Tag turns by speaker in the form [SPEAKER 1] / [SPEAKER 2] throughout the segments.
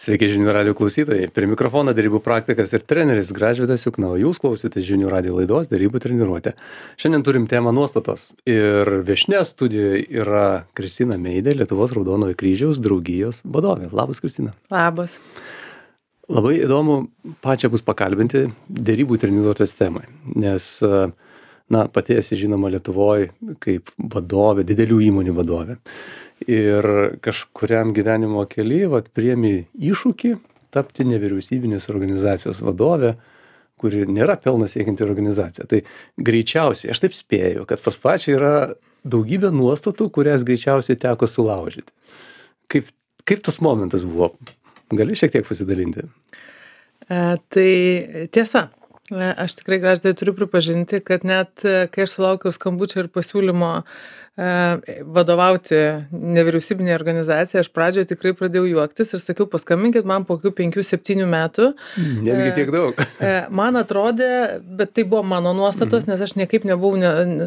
[SPEAKER 1] Sveiki žinių radio klausytojai. Prie mikrofono derybų praktikas ir treneris Gražvydas Jukna, o jūs klausėte žinių radio laidos derybų treniruotė. Šiandien turim temą nuostatos. Ir viešnia studijoje yra Kristina Meidė, Lietuvos Raudonojo kryžiaus draugijos vadovė. Labas, Kristina.
[SPEAKER 2] Labas.
[SPEAKER 1] Labai įdomu pačią bus pakalbinti derybų treniruotės temai, nes pati esi žinoma Lietuvoje kaip vadovė, didelių įmonių vadovė. Ir kažkuriam gyvenimo kely priėmė iššūkį tapti nevyriausybinės organizacijos vadovė, kuri nėra pelno siekianti organizacija. Tai greičiausiai, aš taip spėju, kad pas pačią yra daugybė nuostatų, kurias greičiausiai teko sulaužyti. Kaip tas momentas buvo? Gali šiek tiek pasidalinti?
[SPEAKER 2] Tai tiesa. Aš tikrai Gražvydai turiu pripažinti, kad net kai aš sulaukiau skambučio ir pasiūlymo vadovauti nevyriausybinė organizacija, aš pradžioje tikrai pradėjau juoktis ir sakiau, paskambinkit man po 5-7 metų.
[SPEAKER 1] Netgi tiek daug.
[SPEAKER 2] Man atrodė, bet tai buvo mano nuostatos, nes aš niekaip nebuvau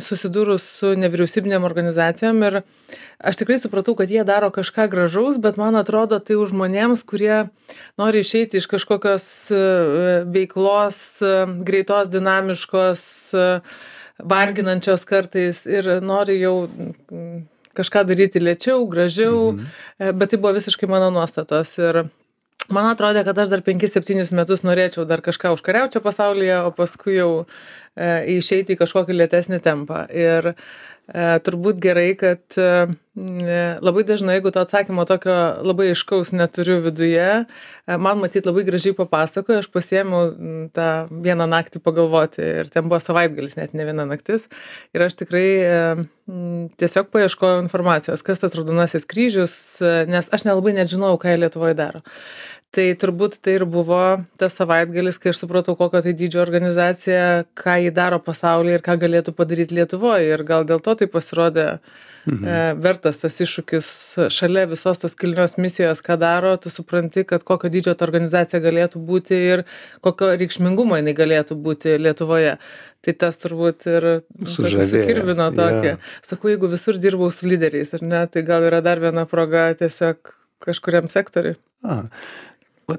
[SPEAKER 2] susidūrus su nevyriausybinėm organizacijom ir aš tikrai supratau, kad jie daro kažką gražaus, bet man atrodo tai už žmonėms, kurie nori išeiti iš kažkokios veiklos, greitos, dinamiškos, varginančios kartais ir nori jau kažką daryti lėčiau, gražiau, bet tai buvo visiškai mano nuostatos ir man atrodė, kad aš dar 5-7 metus norėčiau dar kažką užkariauti čia pasaulyje, o paskui jau išeiti į kažkokį lėtesnį tempą. Ir turbūt gerai, kad labai dažnai, jeigu to atsakymo tokio labai aiškaus neturiu viduje, man matyt labai gražiai papasakojo, aš pasiėmiau tą vieną naktį pagalvoti ir ten buvo savaitgalis, net ne viena naktis. Ir aš tikrai tiesiog paieškojau informacijos, kas tas Raudonasis kryžius, nes aš nelabai net žinojau, ką jie Lietuvoje daro. Tai turbūt tai ir buvo tas savaitgalis, kai aš supratau, kokio tai dydžio organizacija, ką jį daro pasaulyje ir ką galėtų padaryti Lietuvoje. Ir gal dėl to tai pasirodė vertas tas iššūkis šalia visos tos kilnios misijos, ką daro, tu supranti, kad kokio dydžio ta organizacija galėtų būti ir kokio reikšmingumo jinai galėtų būti Lietuvoje. Tai tas turbūt ir sukirvino tokį. Sakau, jeigu visur dirbau su lyderiais, ar ne, tai gal yra dar viena proga tiesiog kažkuriam sektoriui.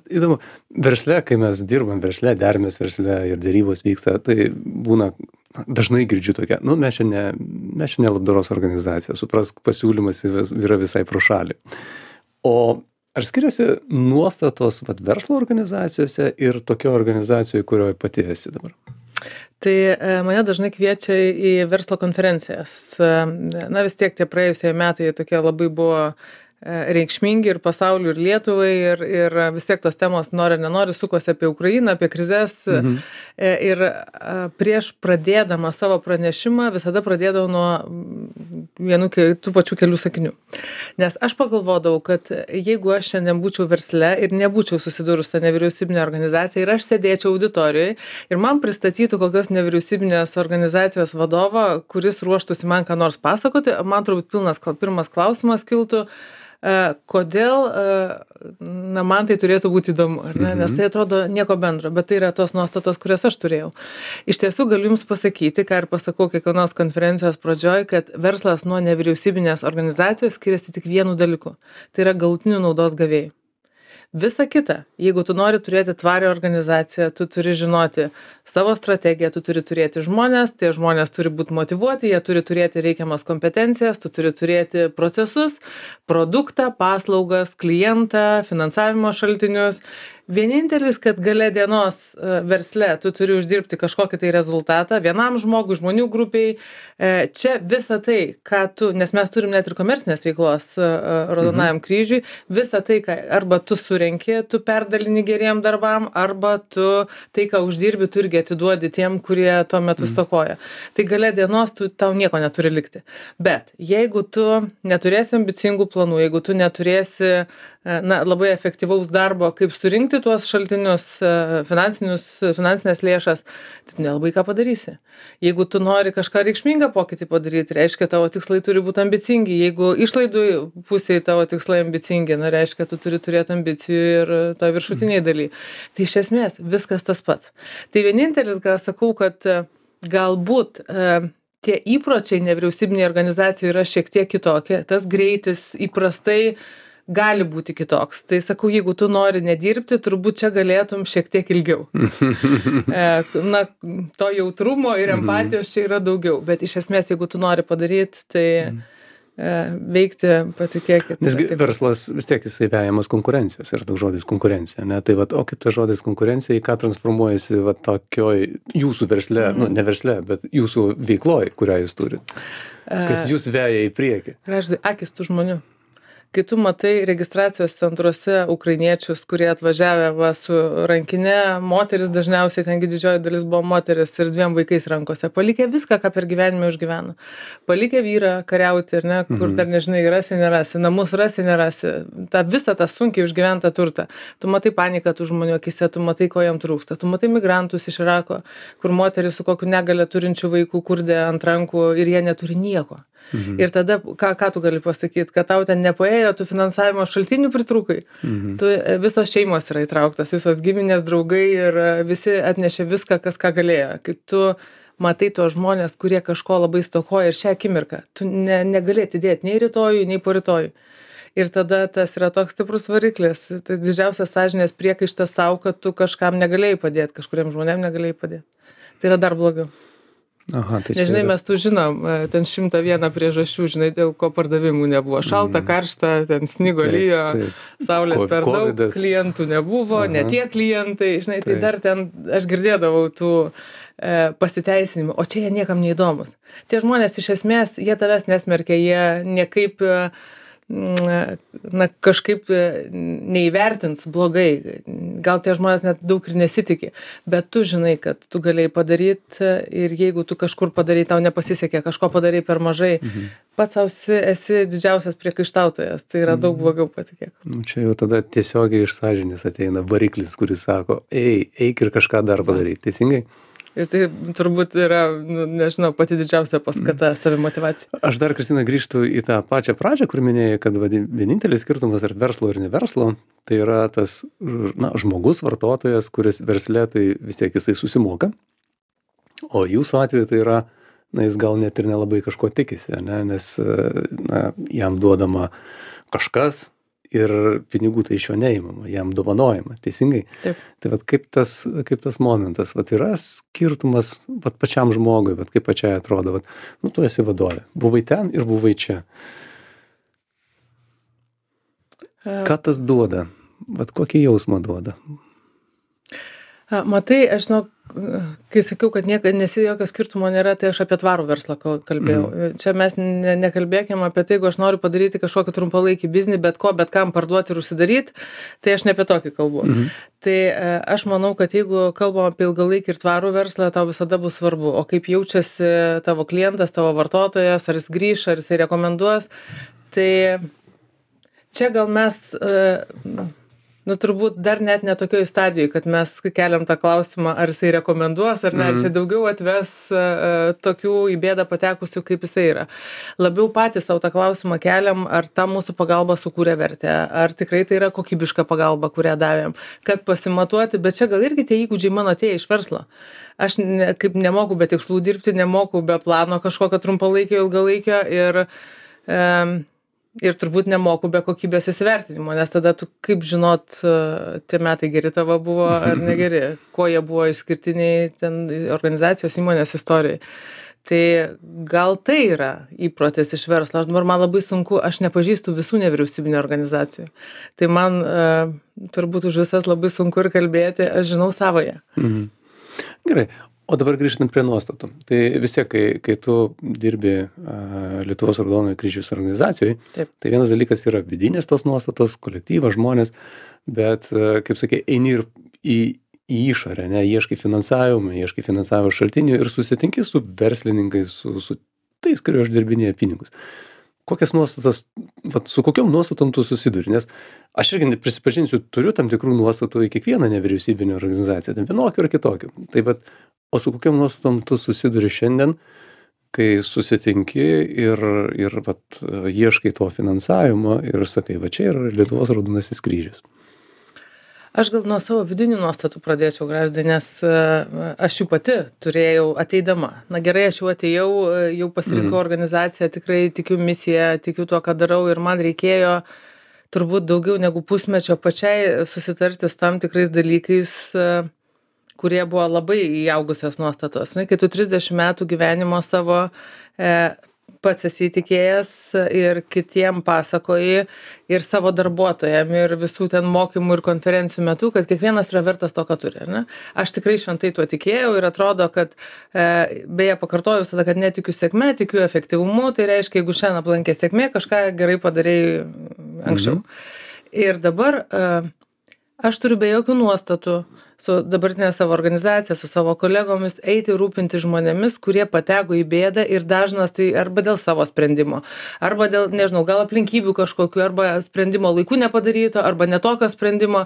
[SPEAKER 1] Įdomu, versle, kai mes dirbam versle, derimės versle ir dėrybos vyksta, tai būna, dažnai girdžiu tokia, mes čia ne labdaros organizacija, suprask, pasiūlymas yra visai pro šalį. O ar skiriasi nuostatos verslo organizacijose ir tokio organizacijoje, kurioje pati esi dabar?
[SPEAKER 2] Tai mane dažnai kviečia į verslo konferencijas. Vis tiek tie praėjusieji metai tokie labai buvo reikšmingi ir pasauliu, ir Lietuvai, ir vis tiek tos temos nori, nenori, sukosi apie Ukrainą, apie krizes. Ir prieš pradėdama savo pranešimą visada pradėdavau nuo tų pačių kelių sakinių. Nes aš pagalvodavau, kad jeigu aš šiandien būčiau versle ir nebūčiau susidūrus tą nevyriausybinę organizaciją ir aš sėdėčiau auditorijoje ir man pristatytų kokios nevyriausybinės organizacijos vadovą, kuris ruoštųsi man ką nors pasakoti, man turbūt pirmas klausimas kiltų, kodėl man tai turėtų būti įdomu, ar ne? Nes tai atrodo nieko bendro, bet tai yra tos nuostatos, kurias aš turėjau. Iš tiesų galiu Jums pasakyti, ką ir pasakau kiekvienos konferencijos pradžioj, kad verslas nuo nevyriausybinės organizacijos skiriasi tik vienu dalyku. Tai yra galutinių naudos gavėjai. Visa kita, jeigu tu nori turėti tvarią organizaciją, tu turi žinoti savo strategiją, tu turi turėti žmonės, tie žmonės turi būti motyvuoti, jie turi turėti reikiamas kompetencijas, tu turi turėti procesus, produktą, paslaugas, klientą, finansavimo šaltinius. Vienintelis, kad gale dienos versle tu turi uždirbti kažkokį tai rezultatą vienam žmogui, žmonių grupiai. Čia visa tai, ką tu, nes mes turim net ir komercinės veiklos Raudonajam kryžiui, visa tai, ką arba tu surenki, tu perdalini geriem darbam, arba tu tai, ką uždirbi, tu irgi atiduodi tiem, kurie tuo metu stokoja. Tai gale dienos tau nieko neturi likti. Bet jeigu tu neturėsi ambicingų planų, jeigu tu neturėsi labai efektyvaus darbo, kaip surinkti tuos šaltinius, finansinės lėšas, tai nelabai ką padarysi. Jeigu tu nori kažką reikšmingą pokytį padaryti, reiškia, tavo tikslai turi būti ambicingi. Jeigu išlaidų pusėje tavo tikslai ambicingi, reiškia, tu turi turėti ambicijų ir to viršutiniai daly. Tai iš esmės viskas tas pats. Tai vienintelis, ką sakau, kad galbūt tie įpročiai nevyriausybinėje organizacijoje yra šiek tiek kitokie. Tas greitis įprastai gali būti kitoks. Tai sakau, jeigu tu nori nedirbti, turbūt čia galėtum šiek tiek ilgiau. Na, to jautrumo ir empatijos čia yra daugiau, bet iš esmės, jeigu tu nori padaryti, tai veikti, patikėkit.
[SPEAKER 1] Nes verslas vis tiek jisai vejamas konkurencijos, yra toks žodis konkurencija, ne? Tai vat, o kaip tas žodis konkurencija, į ką transformuojasi vat tokioj jūsų versle, nu ne versle, bet jūsų veikloj, kurią jūs turit? Kas jūs veja į priekį?
[SPEAKER 2] Graždai, akis tų žmonių. Kai tu matai registracijos centruose ukrainiečius, kurie atvažiavę va, su rankinė, moteris dažniausiai, tengi didžioji dalis buvo moteris ir 2 vaikais rankose, palikę viską, ką per gyvenimą užgyveno. Palikę vyrą kariauti, ir ne, kur dar nežinai, rasi, nerasi, namus rasi, nerasi, visą tą sunkiai užgyventą turtą. Tu matai paniką tų žmonių akise, tu matai, ko jam trūksta. Tu matai migrantus iš Irako, kur moteris su kokiu negalę turinčių vaikų kurdė ant rankų ir jie neturi nieko. Ir tada, ką tu gali pasakyti, kad tau ten nepaėjo, tu finansavimo šaltinių pritrūkai. Tu, visos šeimos yra įtrauktos, visos giminės, draugai ir visi atnešė viską, kas ką galėjo. Kai tu matai tuos žmonės, kurie kažko labai stokoja ir šią akimirką, tu negali atidėti nei rytojui, nei po rytojui. Ir tada tas yra toks stiprus variklis. Tai didžiausias sąžinės priekaištas savo, kad tu kažkam negalėjai padėti, kažkuriem žmonėm negalėjai padėti. Tai yra dar blogiau.
[SPEAKER 1] Aha, tai
[SPEAKER 2] nežinai, mes tu žinom, ten 101 priežasčių, žinai, dėl ko pardavimų nebuvo. Šalta, karšta, ten snigo lyjo, saulės per daug, klientų nebuvo, ne tie klientai, žinai, tai dar ten aš girdėdavau tų pasiteisinimų, o čia jie niekam neįdomus. Tie žmonės iš esmės, jie tavęs nesmerkia, jie niekaip na, kažkaip neįvertins blogai. Gal tie žmonės net daug ir nesitikė, bet tu žinai, kad tu galėjai padaryti ir jeigu tu kažkur padarai, tau nepasisekė, kažko padarai per mažai, pats esi didžiausias priekaištautojas, tai yra daug blogiau, patikėk.
[SPEAKER 1] Nu, čia jau tada tiesiogiai iš sąžinės ateina variklis, kuris sako, eik ir kažką dar padaryti, teisingai?
[SPEAKER 2] Ir tai turbūt yra, nežinau, pati didžiausia paskata savimotyvacija.
[SPEAKER 1] Aš dar, Kristina, grįžtu į tą pačią pradžią, kur minėjai, kad vienintelis skirtumas tarp verslo ir neverslo, tai yra tas žmogus, vartotojas, kuris versle tai vis tiek jisai susimoka, o jūsų atveju tai yra, jis gal net ir nelabai kažko tikisi, nes jam duodama kažkas, ir pinigų tai iš jo neįmama, jam dovanojama, teisingai?
[SPEAKER 2] Taip.
[SPEAKER 1] Tai vat kaip tas momentas, vat yra skirtumas vat pačiam žmogui, vat kaip pačiai atrodo, vat, tu esi vadovė, buvai ten ir buvai čia. Ką tas duoda? Vat kokį jausmą duoda?
[SPEAKER 2] Matai, aš žinau, kai sakiau, kad jokio skirtumo nėra, tai aš apie tvarų verslą kalbėjau. Čia mes nekalbėkime apie tai, jeigu aš noriu padaryti kažkokį trumpalaikį biznį, bet kam parduoti ir užsidaryti, tai aš ne apie tokį kalbu. Tai aš manau, kad jeigu kalbam apie ilgalaikį ir tvarų verslą, tau visada bus svarbu, o kaip jaučiasi tavo klientas, tavo vartotojas, ar jis grįš, ar jis rekomenduos. Tai čia gal mes turbūt dar net ne tokioj stadijoj, kad mes keliam tą klausimą, ar jisai rekomenduos, ar ne, ar jisai daugiau atves tokių į bėdą patekusių, kaip jisai yra. Labiau patys savo tą klausimą keliam, ar ta mūsų pagalba sukūrė vertę, ar tikrai tai yra kokybiška pagalba, kurią davėm, kad pasimatuoti, bet čia gal irgi tie įgūdžiai mano atėję iš verslo. Aš kaip nemoku be tikslų dirbti, nemoku be plano kažkokio trumpalaikio, ilgalaikio ir turbūt nemoku be kokybės įsivertinimo, nes tada tu kaip žinot, tie metai geri tavo buvo ar negeri, kuo jie buvo išskirtiniai ten organizacijos įmonės istorijai. Tai gal tai yra įprotis iš verslo. Man labai sunku, aš nepažįstu visų nevyriausybinių organizacijų. Tai man turbūt už visas labai sunku ir kalbėti, aš žinau savoje.
[SPEAKER 1] Gerai. O dabar grįžtant prie nuostatų. Tai vis tiek, kai tu dirbi Lietuvos Raudonojo Kryžiaus organizacijoje, tai vienas dalykas yra vidinės tos nuostatos, kolektyvas, žmonės, bet, kaip sakė, eini ir į išorę, ieškai finansavimo šaltinių ir susitinki su verslininkais, su tais, kurie uždirbinėja pinigus. Kokias nuostatas, su kokiom nuostatom tu susiduri? Nes aš irgi prisipažinsiu, turiu tam tikrų nuostatų į kiekvieną nevyriausybinę organizaciją, ten vienokių ar kitokių. Tai o su kokiom nuostatom tu susiduri šiandien, kai susitinki ir ieškai to finansavimo ir sakai, čia yra Lietuvos Raudonasis Kryžius.
[SPEAKER 2] Aš gal nuo savo vidinių nuostatų pradėčiau, Graždai, nes aš jų pati turėjau ateidama. Na gerai, aš jau atėjau, jau pasirinkau organizaciją, tikrai tikiu misiją, tikiu tuo, ką darau ir man reikėjo turbūt daugiau negu pusmečio pačiai susitarti su tam tikrais dalykais, kurie buvo labai įaugusios nuostatos. Kai tu 30 metų gyvenimo savo pats esi įtikėjęs ir kitiem pasakoji ir savo darbuotojam ir visų ten mokymų ir konferencijų metu, kad kiekvienas yra vertas to, ką turi. Ne? Aš tikrai šventai tuo tikėjau ir atrodo, kad beje pakartoju visada, kad netikiu sėkme, tikiu efektyvumu, tai reiškia, jeigu šiandien aplankė sėkmė, kažką gerai padarėjai anksčiau. Ir dabar aš turiu be jokių nuostatų su dabartinė savo organizacija, su savo kolegomis eiti rūpinti žmonėmis, kurie pateko į bėdą ir dažnas tai arba dėl savo sprendimo, arba dėl, nežinau, gal aplinkybių kažkokių, arba sprendimo laiku nepadaryto, arba netokio sprendimo.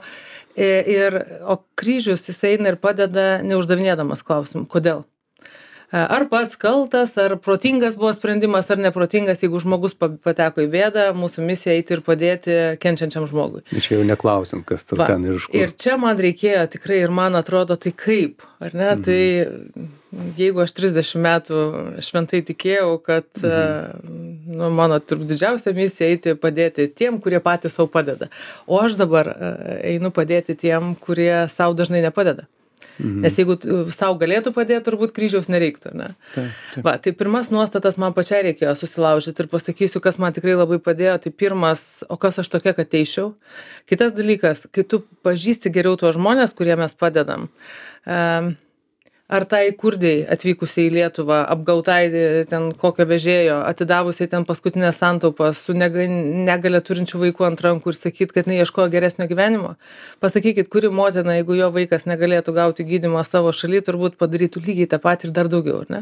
[SPEAKER 2] O kryžius jis eina ir padeda neuždavinėdamas klausimų. Kodėl? Ar pats kaltas, ar protingas buvo sprendimas, ar neprotingas, jeigu žmogus pateko į bėdą, mūsų misija eiti ir padėti kenčiančiam žmogui.
[SPEAKER 1] Čia jau neklausim, kas tur ten ir iš kur.
[SPEAKER 2] Ir čia man reikėjo tikrai, ir man atrodo, tai kaip, ar ne? Tai jeigu aš 30 metų šventai tikėjau, kad mano didžiausia misija eiti padėti tiem, kurie patys savo padeda. O aš dabar einu padėti tiem, kurie savo dažnai nepadeda. Nes jeigu savo galėtų padėti, turbūt kryžiaus nereiktų, ne? Va, tai pirmas nuostatas man pačiai reikėjo susilaužyti ir pasakysiu, kas man tikrai labai padėjo. Tai pirmas, o kas aš tokia, kad teiščiau. Kitas dalykas, kai tu pažįsti geriau tuos žmonės, kurie mes padedam. Ar tai kurdiai atvykusiai į Lietuvą, apgautai ten kokio vežėjo, atidavusiai ten paskutinės santaupas su negalia turinčių vaikų ant rankų ir sakyt, kad neieškojo geresnio gyvenimo? Pasakykit, kuri motina, jeigu jo vaikas negalėtų gauti gydymą savo šaly, turbūt padarytų lygiai tą patį ir dar daugiau, ne?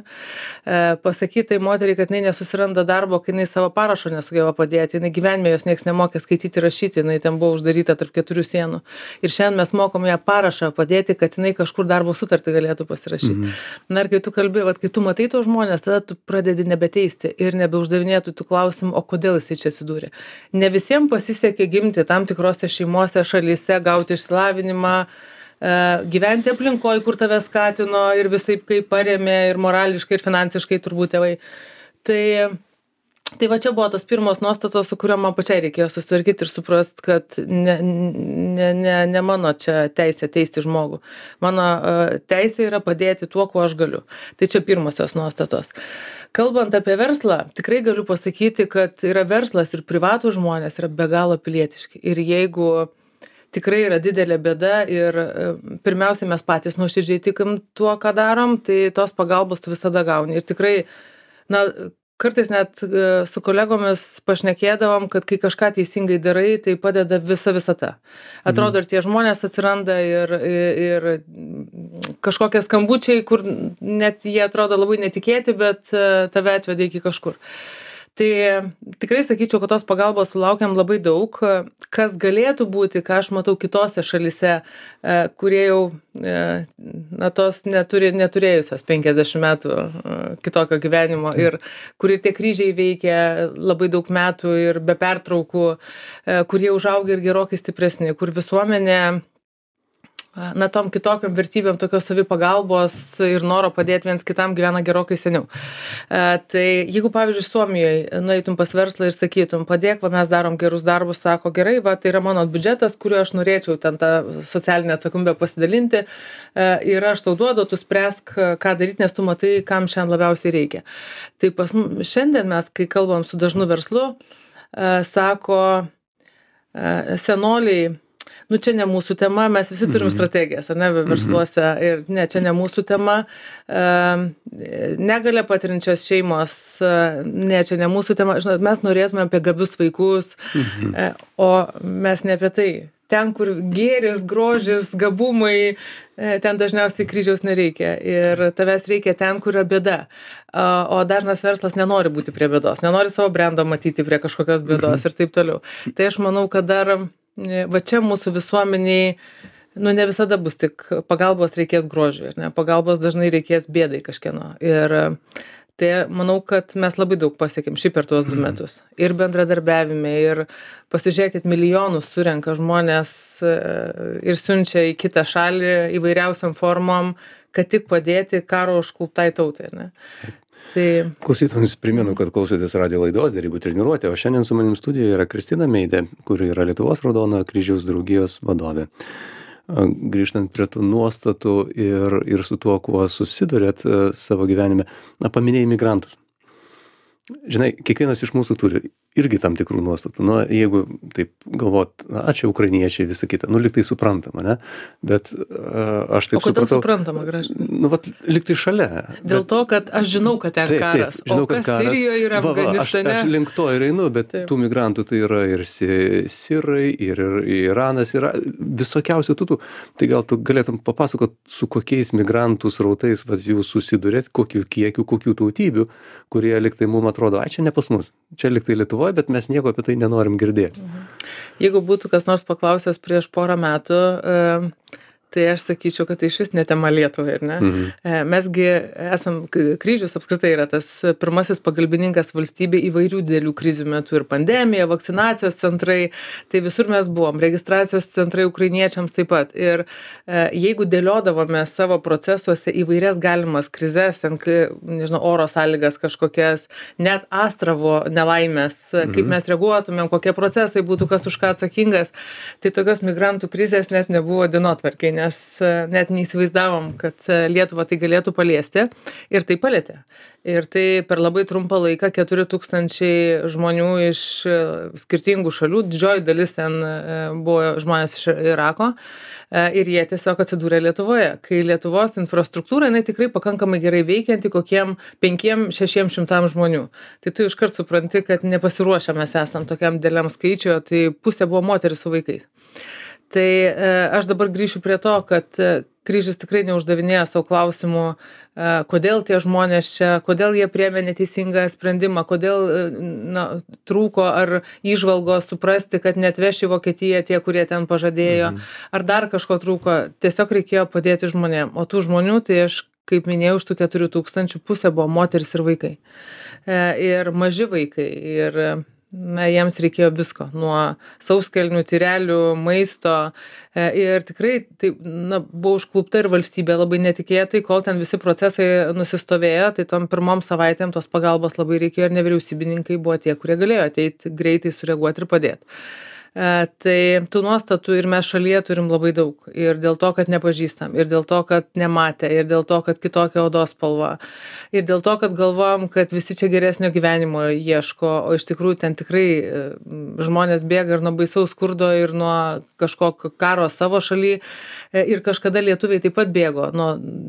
[SPEAKER 2] Pasakyti tai moteriai, kad jinai nesusiranda darbo, kai jinai savo parašo nesugeba padėti, jinai gyvenime jos nieks nemokė skaityti ir rašyti, jinai ten buvo uždaryta tarp 4 sienų. Ir šiandien mes mokom ją parašą padėti, kad jinai kažkur darbo sutartį galėtų pasirašyti. Na ir kai tu kalbi, kai tu matai tos žmonės, tada tu pradedi nebeteisti ir nebeuždavinėtų tų klausimų, o kodėl jisai čia atsidūrė. Ne visiems pasisekė gimti tam tikrose šeimose, šalyse, gauti išsilavinimą, gyventi aplinkoje, kur tave skatino ir visaip kaip paremė ir morališkai, ir finansiškai turbūt tėvai. Tai va čia buvo tos pirmos nuostatos, su kuriuo man pačiai reikėjo susitvarkyti ir suprast, kad ne mano čia teisė teisti žmogų. Mano teisė yra padėti tuo, kuo aš galiu. Tai čia pirmosios nuostatos. Kalbant apie verslą, tikrai galiu pasakyti, kad yra verslas ir privatų žmonės yra be galo pilietiški. Ir jeigu tikrai yra didelė bėda ir pirmiausia mes patys nuoširdžiai tikim tuo, ką darom, tai tos pagalbos tu visada gauni. Ir tikrai, kartais net su kolegomis pašnekėdavom, kad kai kažką teisingai darai, tai padeda visa visata. Atrodo, ir tie žmonės atsiranda ir kažkokie skambučiai, kur net jie atrodo labai netikėti, bet tave atvedė iki kažkur. Tai tikrai sakyčiau, kad tos pagalbos sulaukiam labai daug, kas galėtų būti, ką aš matau kitose šalyse, kurie jau tos neturėjusios 50 metų kitokio gyvenimo ir kurie tie kryžiai veikia labai daug metų ir be pertraukų, kurie užaugia ir gerokai stipresni, kur visuomenė tom kitokiam vertybėm tokios savipagalbos ir noro padėti viens kitam gyvena gerokai seniau. Tai jeigu, pavyzdžiui, Suomijoje nueitum pas verslą ir sakytum, padėk, mes darom gerus darbus, sako, gerai, tai yra mano biudžetas, kuriuo aš norėčiau ten tą socialinę atsakomybę pasidalinti ir aš tau duodu, tu spręsk, ką daryti, nes tu matai, kam šiandien labiausiai reikia. Tai šiandien mes, kai kalbam su dažnu verslu, sako senoliai, čia ne mūsų tema, mes visi turim strategijas, ar ne, versluose, ir ne, čia ne mūsų tema, negalia patirinčios šeimos, ne, čia ne mūsų tema, žinot, mes norėtume apie gabius vaikus, o mes ne apie tai. Ten, kur gėris, grožis, gabumai, ten dažniausiai kryžiaus nereikia ir tavęs reikia ten, kur yra bėda. O dažnas verslas nenori būti prie bėdos, nenori savo brendo matyti prie kažkokios bėdos ir taip toliau. Tai aš manau, kad dar va čia mūsų visuomeniai, ne visada bus tik pagalbos reikės grožiui, ne, pagalbos dažnai reikės bėdai kažkieno. Ir tai manau, kad mes labai daug pasiekėm šį per tuos 2 metus. Ir bendradarbiavime, ir pasižiūrėkit, milijonus surenka žmonės ir siunčia į kitą šalį įvairiausiam formom, kad tik padėti karo užkluptai tautai, ne? Tai
[SPEAKER 1] Klausytojams primenu, kad klausotės radijo laidos Derybų treniruotė, o šiandien su manim studijoje yra Kristina Meidė, kuri yra Lietuvos Raudonojo kryžiaus draugijos vadovė. Grįžtant prie tų nuostatų ir su tuo, kuo susidurėt savo gyvenime, paminėjai migrantus. Žinai, kiekvienas iš mūsų turi irgi tam tikrų nuostatų. Nu, jeigu taip galvot, čia ukrainiečiai, visa kita, lyg tai suprantama, ne? Bet aš taip supratau.
[SPEAKER 2] O kodėl suprantama, Gražvydai?
[SPEAKER 1] Lyg tai šalia.
[SPEAKER 2] Dėl to, kad aš žinau, kad ten karas.
[SPEAKER 1] Taip, žinau, kad karas.
[SPEAKER 2] Sirijoje ir Afganistane.
[SPEAKER 1] Aš link to ir einu, bet tų migrantų tai yra ir sirai, ir Iranas, yra visokiausių tų. Tai gal tu galėtum papasakot, su kokiais migrantų srautais jūs susidurėt, kokių kiekių, kokių tautybių, kurie lyg tai mums atrodo, čia ne pas mus, čia lyg tai Lietuvoje, bet mes nieko apie tai nenorim girdėti.
[SPEAKER 2] Jeigu būtų kas nors paklausęs prieš porą metų, tai aš sakyčiau, kad tai išvis ne tema Lietuvai, ar ne? Mesgi esam, kryžius apskritai yra tas pirmasis pagalbininkas valstybė įvairių didelių krizių metu, ir pandemija, vakcinacijos centrai, tai visur mes buvom, registracijos centrai ukrainiečiams taip pat. Ir jeigu dėliodavome savo procesuose įvairias galimas krizes, nežinau, oro sąlygas kažkokias, net Astravo nelaimės, kaip mes reaguotumėm, kokie procesai būtų, kas už ką atsakingas, tai tokios migrantų krizės net nebuvo dienotvarkėj, nes net neįsivaizdavom, kad Lietuvą tai galėtų paliesti, ir tai palietė. Ir tai per labai trumpą laiką 4000 žmonių iš skirtingų šalių, didžioji dalis ten buvo žmonės iš Irako, ir jie tiesiog atsidūrė Lietuvoje. Kai Lietuvos infrastruktūra, jinai tikrai pakankamai gerai veikianti kokiem 500-600 žmonių. Tai tu iškart supranti, kad nepasiruošę mes esam tokiam dideliam skaičiui, tai pusė buvo moteris su vaikais. Tai aš dabar grįšiu prie to, kad kryžius tikrai neuždavinėjo savo klausimų, kodėl tie žmonės čia, kodėl jie priėmė neteisingą sprendimą, kodėl trūko ar įžvalgos suprasti, kad neatveš į Vokietiją tie, kurie ten pažadėjo, ar dar kažko trūko. Tiesiog reikėjo padėti žmonėm. O tų žmonių, tai aš, kaip minėjau, iš tų 4000 pusė buvo moteris ir vaikai. Ir maži vaikai. Ir jiems reikėjo visko, nuo sauskelnių, tyrelių, maisto, ir tikrai tai, buvo užklupta ir valstybė labai netikėtai, kol ten visi procesai nusistovėjo, tai tom pirmom savaitėm tos pagalbos labai reikėjo, ir nevyriausybininkai buvo tie, kurie galėjo ateiti greitai, sureaguoti ir padėti. Tai tų nuostatų ir mes šalyje turim labai daug, ir dėl to, kad nepažįstam, ir dėl to, kad nematė, ir dėl to, kad kitokia odos spalva, ir dėl to, kad galvom, kad visi čia geresnio gyvenimo ieško, o iš tikrųjų ten tikrai žmonės bėga ir nuo baisaus skurdo, ir nuo kažkokio karo savo šaly, ir kažkada lietuviai taip pat bėgo,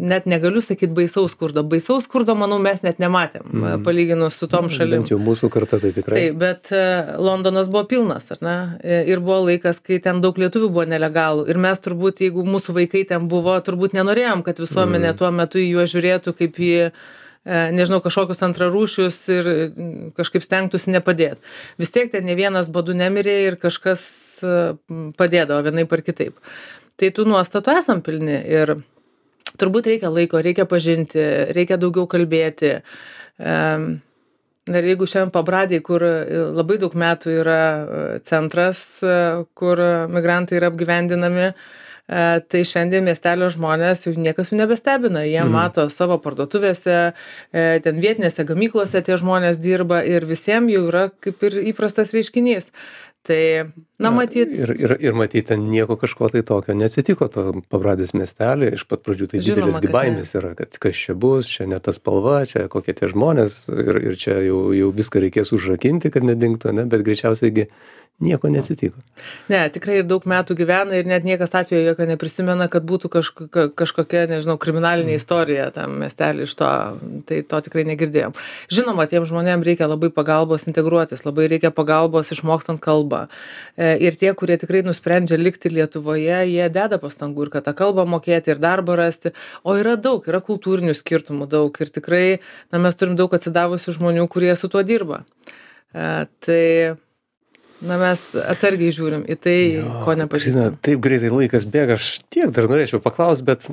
[SPEAKER 2] net negaliu sakyti baisaus skurdo, manau, mes net nematėm, palyginus su tom šalim.
[SPEAKER 1] Bent jau mūsų karta tai tikrai.
[SPEAKER 2] Taip, bet Londonas buvo pilnas, ar ne? Ir buvo laikas, kai ten daug lietuvių buvo nelegalų. Ir mes turbūt, jeigu mūsų vaikai ten buvo, turbūt nenorėjom, kad visuomenė tuo metu į juos žiūrėtų kaip į, nežinau, kažkokius antrarūšius ir kažkaip stengtųsi nepadėti. Vis tiek ten ne vienas badu nemirė ir kažkas padėdavo vienaip ar kitaip. Tai tų nuostatų esam pilni, ir turbūt reikia laiko, reikia pažinti, reikia daugiau kalbėti. Ir jeigu šiandien Pabradėj, kur labai daug metų yra centras, kur migrantai yra apgyvendinami, tai šiandien miestelio žmonės jau niekas jų nebestebina. Jie mato savo parduotuvėse, ten vietinėse gamyklose tie žmonės dirba, ir visiems jau yra kaip ir įprastas reiškinys. Tai, matyt.
[SPEAKER 1] Ir matyt, ten nieko kažko tai tokio neatsitiko to Pabradės miestelį. Iš pat pradžių tai didelis baimės yra, kad kas čia bus, čia ne tas spalva, čia kokie tie žmonės, ir čia jau viską reikės užrakinti, kad nedingtų, ne? Bet greičiausiai nieko neatsitiko.
[SPEAKER 2] Ne, tikrai ir daug metų gyvena, ir net niekas atveju jokio neprisimena, kad būtų kažkokia, nežinau, kriminalinė istorija tam miestelį iš to. Tai to tikrai negirdėjom. Žinoma, tiem žmonėm reikia labai pagalbos integruotis, labai reikia pagalbos išmokstant kalbą. Ir tie, kurie tikrai nusprendžia likti Lietuvoje, jie deda pastangų, ir kad tą kalbą mokėti, ir darbą rasti. O yra daug, yra kultūrinių skirtumų daug, ir tikrai mes turim daug atsidavusių žmonių, kurie su tuo dirba. Tai mes atsargiai žiūrim į tai, ko nepažįstam.
[SPEAKER 1] Taip greitai laikas bėga, aš tiek dar norėčiau paklausti, bet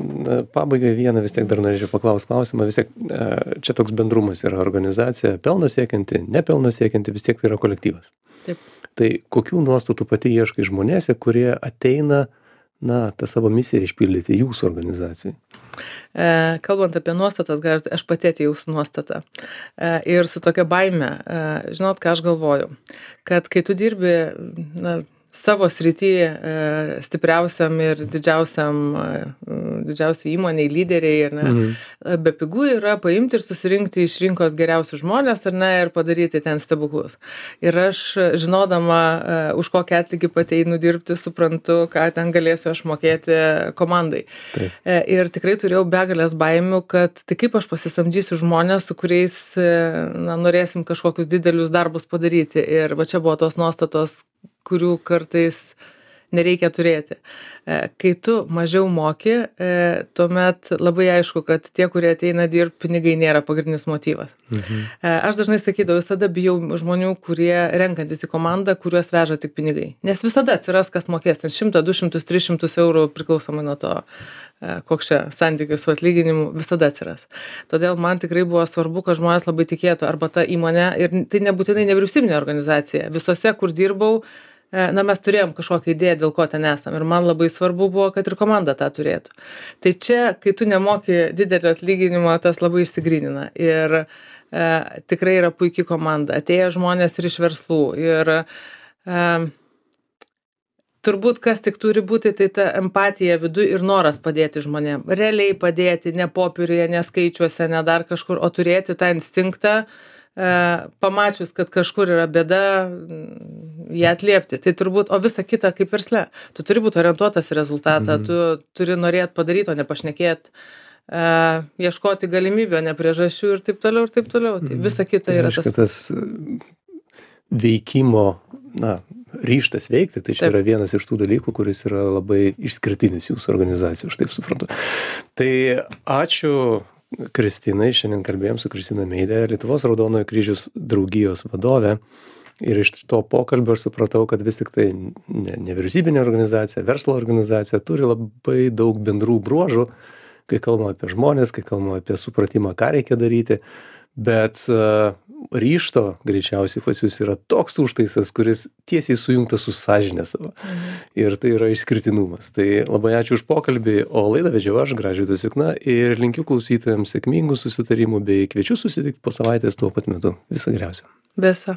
[SPEAKER 1] pabaigai vieną vis tiek dar norėčiau paklausti klausimą. Vis tiek čia toks bendrumas yra organizacija, pelno siekianti, nepelno siekianti, vis tiek tai yra kolektyvas.
[SPEAKER 2] Taip.
[SPEAKER 1] Tai kokių nuostatų pati ieškai žmonėse, kurie ateina na, tą savo misiją išpildyti jūsų organizacijai?
[SPEAKER 2] Kalbant apie nuostatas, aš pati atėjau su nuostata. Ir su tokia baime, žinot, ką aš galvoju, kad kai tu dirbi, savo srity stipriausiam ir didžiausiai įmoniai, lyderiai, ar ne, bepigu yra paimti ir susirinkti iš rinkos geriausius žmonės, ar ne, ir padaryti ten stebuklus. Ir aš, žinodama, už kokį atlygį pateinu dirbti, suprantu, ką ten galėsiu aš mokėti komandai.
[SPEAKER 1] Taip.
[SPEAKER 2] Ir tikrai turėjau begalės baimių, kad tai kaip aš pasisamdysiu žmonės, su kuriais norėsim kažkokius didelius darbus padaryti. Ir va čia buvo tos nuostatos, kurių kartais nereikia turėti. Kai tu mažiau moki, tuomet labai aišku, kad tie, kurie ateina dirbti, pinigai nėra pagrindinis motyvas. Aš dažnai sakydavau, visada bijau žmonių, kurie renkantis į komandą, kuriuos veža tik pinigai. Nes visada atsiras, kas mokės ten 100, 200, 300 eurų priklausomai nuo to, koks čia santykis su atlyginimu, visada atsiras. Todėl man tikrai buvo svarbu, kad žmonės labai tikėtų arba ta įmonė, ir tai nebūtinai nevyriausybinė organizacija. Visose, kur dirbau, mes turėjom kažkokią idėją, dėl ko ten esam. Ir man labai svarbu buvo, kad ir komanda tą turėtų. Tai čia, kai tu nemoki didelio atlyginimo, tas labai išsigrynina. Ir tikrai yra puikiai komanda. Atėjo žmonės ir iš verslų. Ir turbūt, kas tik turi būti, tai ta empatija viduje ir noras padėti žmonėm. Realiai padėti, ne popieriuje, ne skaičiuose, ne dar kažkur, o turėti tą instinktą, pamačius, kad kažkur yra bėda, ją atliepti. Tai turbūt, o visa kita kaip versle. Tu turi būti orientuotas į rezultatą, tu turi norėti padaryti, o ne pašnekėti, ieškoti galimybę, ne priežasčių ir taip toliau, ir taip toliau. Tai visa kita yra
[SPEAKER 1] tas veikimo, ryžtas veikti, tai čia yra vienas iš tų dalykų, kuris yra labai išskirtinis jūsų organizacijų, aš taip suprantu. Tai ačiū Kristinai, šiandien kalbėjom su Kristina Meidė, Lietuvos Raudonojo Kryžiaus draugijos vadovė. Ir iš to pokalbio aš supratau, kad vis tik tai nevyriausybinė organizacija, verslo organizacija turi labai daug bendrų bruožų, kai kalbame apie žmonės, kai kalbame apie supratimą, ką reikia daryti. Bet ryžto greičiausiai pas jūs yra toks užtaisas, kuris tiesiai sujungtas su sąžinė savo. Ir tai yra išskirtinumas. Tai labai ačiū už pokalbį, o laidą vedžiau aš, Gražvydas Jukna, ir linkiu klausytojams sėkmingų susitarimų bei kviečiu susitikti po savaitės tuo pat metu. Viso geriausio.
[SPEAKER 2] Visa.